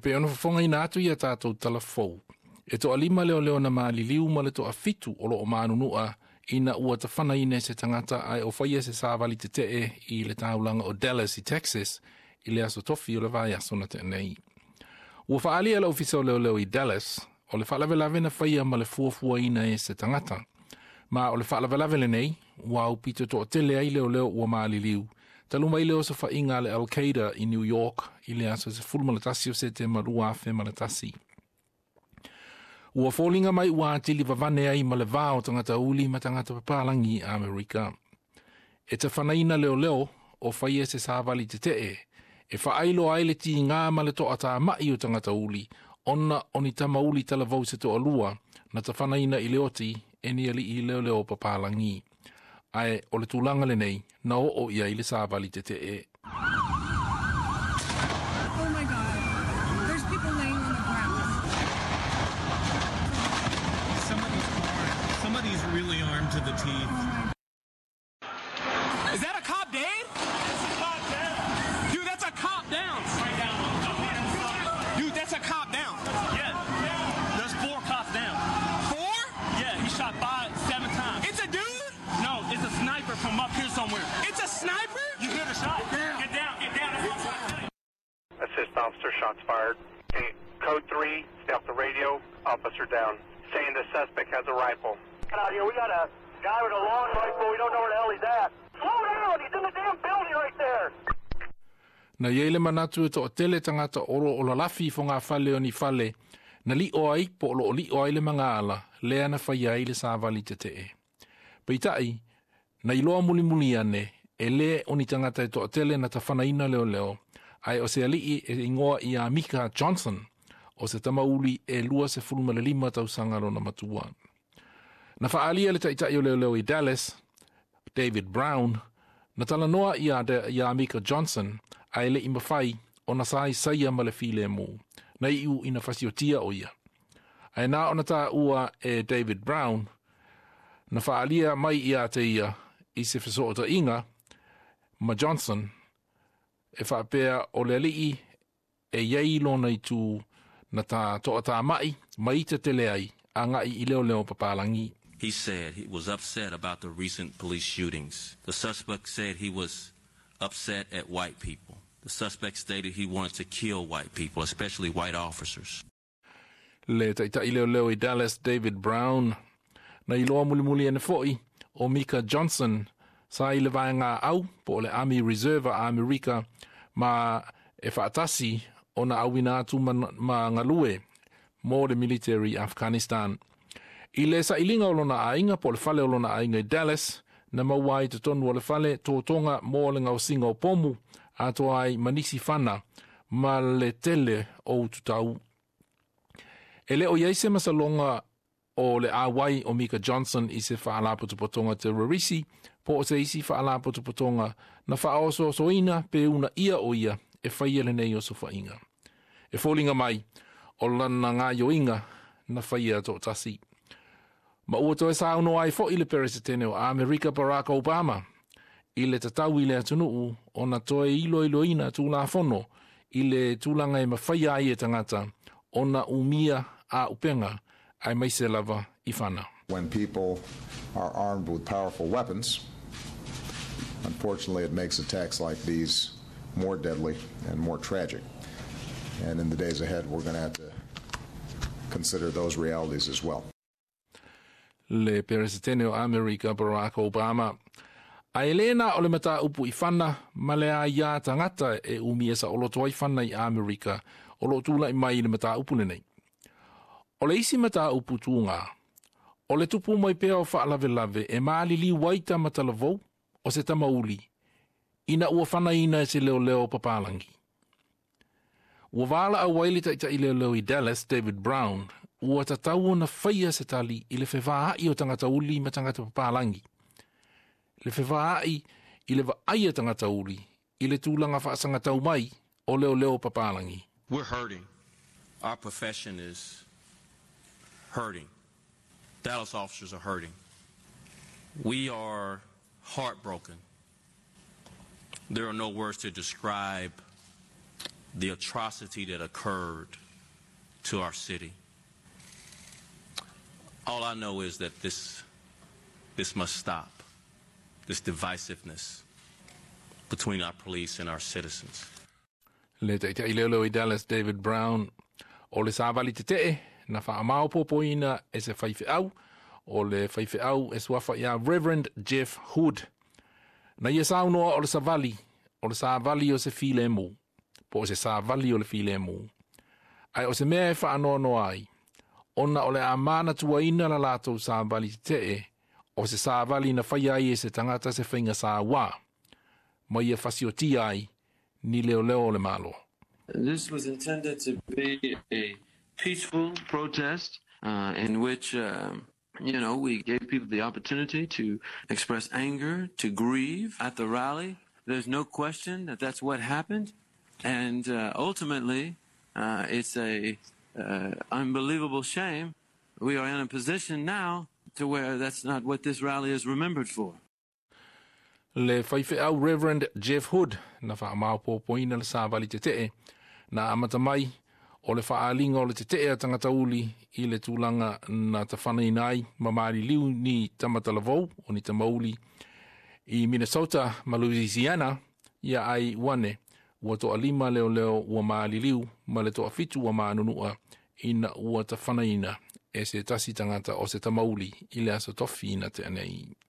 pei ona fofogaina atu i a tatou tala fou, e toalima leoleo na maliliu ma le toafitu o loo manunua ina ua tafanaina e se tagata ae o faia se savali tetee i le taulaga o Dallas i Texas i le aso Tofi o le vaiaso na tea nei. Ua faaalia le ofisa o leoleo i Dallas o le faalavelave na faia ma le fuafuaina e se tagata. Ma o le faalavelave lenei ua aupito toatele ai leoleo ua maliliu talu mai le osofaiga a le Al-Qaeda i New York i le aso 11 o Setema 2001. Ua foliga mai ua atili vavane ai ma le va o tagata uli ma tagata papalagi i Amerika. E tafanaina leoleo o faia se savali tetee e faailo ai le tiga ma le toatamai o tagata uli ona o ni tamauli talavou se toalua na tafanaina i le oti e ni alii leoleo papalagi. Ae o le tulaga lenei na oo i ai le savali tetee. Oh my God. There's people laying on the ground. Somebody's armed. Somebody's really armed to the teeth. Is that a cop dead? That's a cop down. Dude, that's a cop down. Right down. Dude, that's a cop down. Yeah. There's 4 cops down. 4? Yeah, he shot 5, 7 times. It's a dude? No, it's a sniper from up here somewhere. It's a sniper? You hear the shot? Yeah. Get down, get down. That's what I'm trying to tell you. Assist officer, shots fired. Okay, code 3, stay off the radio, officer down. Saying the suspect has a rifle. Get out here, we got a guy with a long rifle, we don't know where the hell he's at. Slow down, he's in the damn building right there. Na iai le manatu e toatele tagata o loo lalafi i fogafale o ni fale, na lio ai po o loo lio ai le magaala, lea na faia ai le savali tetee. Peitai, na iloa mulimuli ane, e lē o ni tagata e toatele na tafanaina leoleo, ae o se alii e igoa ia Mika Johnson, o se tamauli e 25 tausaga lona matua. Na faalia le taitai o leoleo i Dallas, David Brown, na talanoa ia Mika Johnson, ae le'i mafai ona saisaia ma le filemu, na iu ina fasiotia o ia. Ae na ona taua e David Brown, na faalia mai ia te ia i se fesootaiga ma Johnson, e faapea o le alii e iai lona itu na ta toatamai ma ita tele ai agai i leoleo papalagi. He said he was upset about the recent police shootings. The suspect said he was upset at white people. The suspect stated he wanted to kill white people, especially white officers. Le taitai leoleo i Dallas, David Brown, na iloa mulimuli ane foi o Mika Johnson sa i le vaega au po o le Army Reserve a Amerika ma e faatasi ona auina atu ma galue mo le military Afghanistan. I le sailiga o lona aiga po o le fale o lona aiga i Dallas, na maua ai totonu o le fale totoga mo le gaosiga o pomu atoa ai ma nisi fana ma le tele o ututau. E le o iai se masaloga o le auai o Mika Johnson i se faalapotopotoga terrorisi po o se isi faalapotopotoga na faaosoosoina pe una ia o ia e faia lenei osofaiga. E foliga mai o lana gaioiga na faia toatasi. Ma ua toe saunoa ai foi le Peresetene o Amerika Barack Obama i le tatau i le atunuu ona toe iloiloina tulafono i le tulaga e mafaia ai e tagata ona umia auupega aemaise lava i fana. When people are armed with powerful weapons, unfortunately it makes attacks like these more deadly and more tragic. And in the days ahead, we're going to have to consider those realities as well. Le Peresetene o Amerika Barack Obama. Ae le na o le mataupu i fana ma le aiā tagata e umia saoloto ai fana i Amerika o loo tula'i mai i le mataupu lenei. O le isi mataupu tuga, o le tupu mai pea o faalavelave e maliliu ai tama talavou o se tamauli ina ua fanaina e se leoleo papalagi. Ua valaau ai le taitai leoleo i Dallas, David Brown, ua tatau ona faia se tali i le fevaai o tagata uli ma tagata papalagi. Le fevaai i le vaai a tagata uli i le tulaga faasagatau mai o leoleo papalagi. We're hurting. Our profession is hurting. Dallas officers are hurting. We are heartbroken. There are no words to describe the atrocity that occurred to our city. All I know is that this, this must stop, this divisiveness between our police and our citizens. Le taitai leoleo i Dallas David Brown o le savali tete'e na fa'amaopopoina e se faife'au o le faife'au e suafa iā Reverend Jeff Hood. Na ia saunoa o le savali, o le savali o se filemu, po o se savali o le filemu. Ae o se mea e fa'anoanoa ai, ona o le a manatuaina la latou savali tete'e, o se savali na faia ai e se tagata se faiga sauā, ma ia fasiotia ai ni leoleo o le Malo. This was intended to be a peaceful protest in which, we gave people the opportunity to express anger, to grieve at the rally. There's no question that that's what happened. And ultimately, it's a unbelievable shame. We are in a position now to where that's not what this rally is remembered for. Le faife'au Reverend Jeff Hood na fa'amaopopoina le savali tete'e na amata mai o le fa'aaliga o le tete'e a tagata uli i le tulaga na tafanaina ai ma maliliu ni tamatalavou o ni tamauli i Minnesota ma Louisiana ia ai uane ua to'alima leoleo ua maliliu ma le to'afitu ua manunu'a ina ua tafanaina e se tasi tagata o se tamauli i le aso tofi na tea nei.